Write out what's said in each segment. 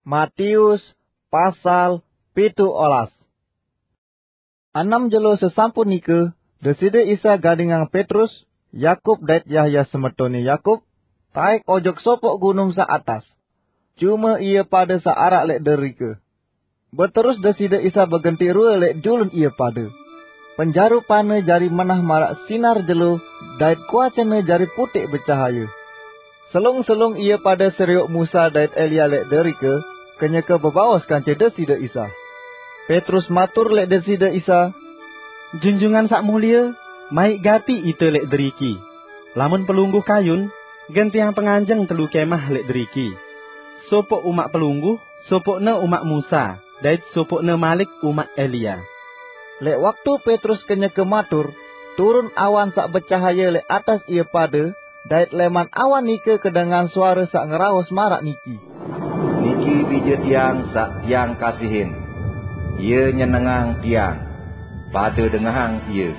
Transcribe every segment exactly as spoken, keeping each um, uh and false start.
Matius pasal pitu olas. Anam jelo sesampun nika, Deside Isa gadingang Petrus, Yakub dait Yahya semetone Yakub, taik ojok sopok gunung sa atas. Cuma ia pada sa arak lek derike. Beterus Deside Isa begenti rue lek julun ia pada. Penjarupane jari menah marak sinar jelo, dait kuacene jari putik becahaya. Selung-selung ia pada seriuk Musa dait Elia lek derike, kenyeke bebaos kance Deside Isa. Petrus matur lek Deside Isa, "Junjungan sak mulia, maik gati ite lek deriki. Lamun pelungguh kayun, gen tiang penganjeng telu kemah lek deriki. Sopok umak pelungguh, sopokne umak Musa, dait sopokne malik umak Elia." Lek waktu Petrus kenyeke matur, turun awan sak becahaya lek atas ia pada, dait leman awan nika kedengan suara sak ngeraos marak niki, "Niki Dije Tiang sak Tiang kasihin. Ia nyenengang Tiang. Pada dengahang Ia."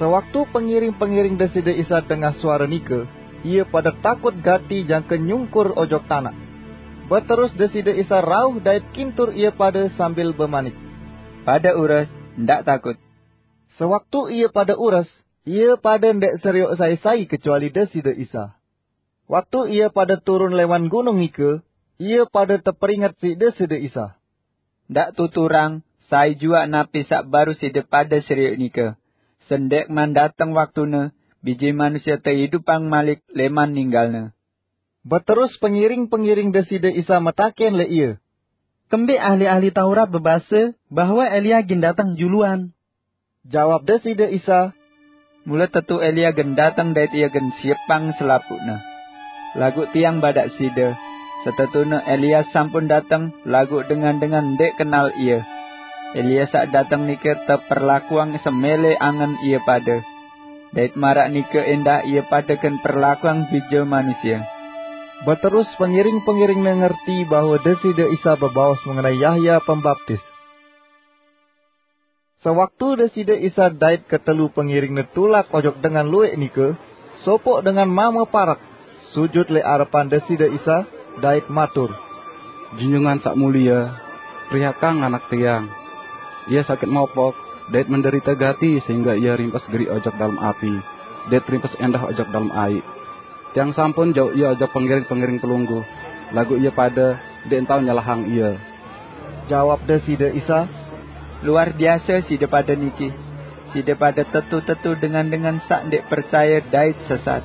Sewaktu pengiring-pengiring Deside Isa dengah suara nika, ia pada takut gati jangke nyungkur ojok tanak. Beterus Deside Isa rauh dait kintur ia pada sambil bemanik, "Pada ures, ndak takut." Sewaktu ia pada ures, ia pada ndek seriuk sai-sai kecuali Deside Isa. Waktu ia pada turun leman gunung nika, ia pada teperinget siq Deside Isa, "Ndak tuturang sai juak napi sak baru side pada seriuk nika. Sendek man dateng waktune, Bije Manusia teidupang malik leman ninggalne." Beterus pengiring-pengiring Deside Isa metaken lek Ia, "Kembeq ahli-ahli Taurat bebase bahwe Elia gen dateng juluan?" Jawab Deside Isa, "Mule tetu Elia gen dateng dait ia gen siepang selapuqne. Laguq Tiang badaq side, setetune Elia sampun dateng, laguq dengan-dengan ndeq kenal ie. Elia saq dateng nike teperlakuang semele angen ie pade. Dait maraq nike endah ie pade gen perlakuang Bije Manusie." Beterus pengiring-pengiringne ngerti bahwe Deside Isa bebaos mengenai Yahya Pembaptis. Sewaktu Deside Isa dait ketelu pengiringne tulak ojok dengan lueq nike, sopoq dengan mame parek, sujut leq arepan Deside Isa, dait matur, "Junjungan Saq Mulie, perihakang anak tiang. Ie sakit mopok, dait menderite gati sehingge ie rimpes geriq ojok dalem api, dait rimpes endah ojok dalem aiq. Tiang sampun jauq ie ojok pengiring-pengiring pelungguh, laguq ie pade ndeq tao nyelahang ie." Jawab Deside Isa, "Luar biase side pade niki. Side pade tetu-tetu dengan-dengan saq ndeq percaye dait sesat.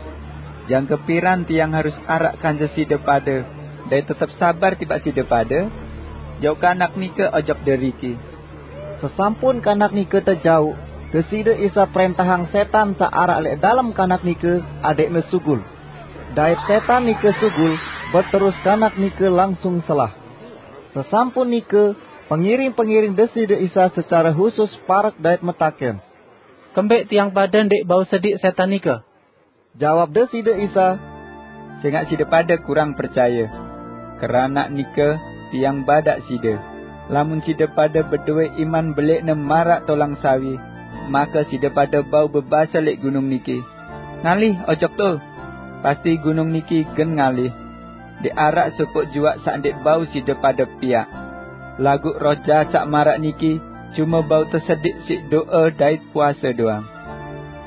Jangke piran tiang harus araq kance side pade, dait tetep sabar tipaq side pade? Jauq kanak nike ojok deriki." Sesampun kanak nike tejauq, Deside Isa prentahang setan saq araq leq dalem kanak nike adeqne sugul. Dait setan nike sugul, beterus kanak nike langsung selah. Sesampun nike, pengiring-pengiring Deside Isa secare husus parek dait metaken, "Kembeq tiang pade ndeq bau sediq setan nike?" Jawab Deside Isa, "Sengaq side pade kurang percaye. Keranaq nike, tiang badaq side, lamun side pade bedowe iman beleqne maraq tolang sawi, make side pade bau bebase leq gunung niki, 'Ngalih ojok to!' Pasti gunung niki gen ngalih. Ndeq araq sopoq juaq saq ndeq bau side pade piaq. Laguq roh jahat saq maraq niki cume bau tesediq siq do'e dait puase doang."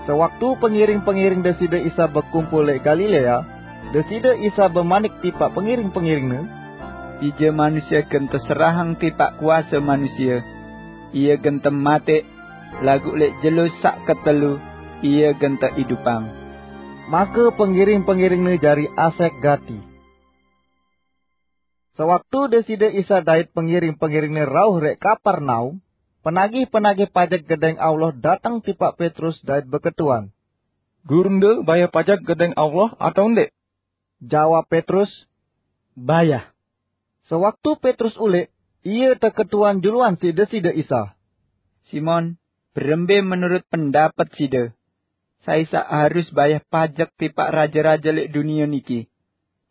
Sewaktu pengiring-pengiring Deside Isa bekumpul leq Galilea, Deside Isa bemanik tipaq pengiring-pengiringne, "Bije Manusie gen teserahang tipaq kuase manusie. Ie gen temateq, laguq leq jelo saq ketelu Ie gen teidupang." Make pengiring-pengiringne jari asek gati. Sewaktu Deside Isa dait pengiring-pengiringne rauh leq Kapernaum, penagih-penagih pajek Gedeng Allah dateng tipaq Petrus dait beketuan, "Gurunde bayah pajek Gedeng Allah atao ndeq?" Jawab Petrus, "Bayah." Sewaktu Petrus uleq, ie teketuan juluan siq Deside Isa, "Simon, berembe menurut pendapet side? Sai saq harus bayah pajek tipaq raje-raje leq dunie niki?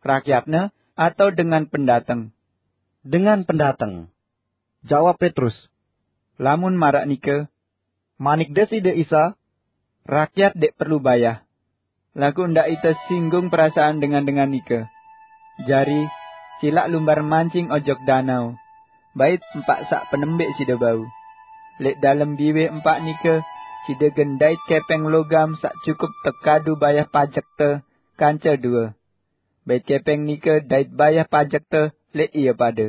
Rakyatne atao dengan pendateng?" "Dengan pendateng," jawab Petrus. "Lamun maraq nike," manik Deside Isa, "rakyat ndeq perlu bayah. Laguq ndaq ite singgung perasaan dengan-dengan nike. Jari, "Silaq lumbar mancing ojok danau, bait empaq saq penembik side bau. Lẽq dalem biwih empaq nike side gen dait kẽpẽng logam saq cukup tekadu bayah pajekte kance due. Bait kẽpẽng nike dait bayah pajekte lẽq ie pade.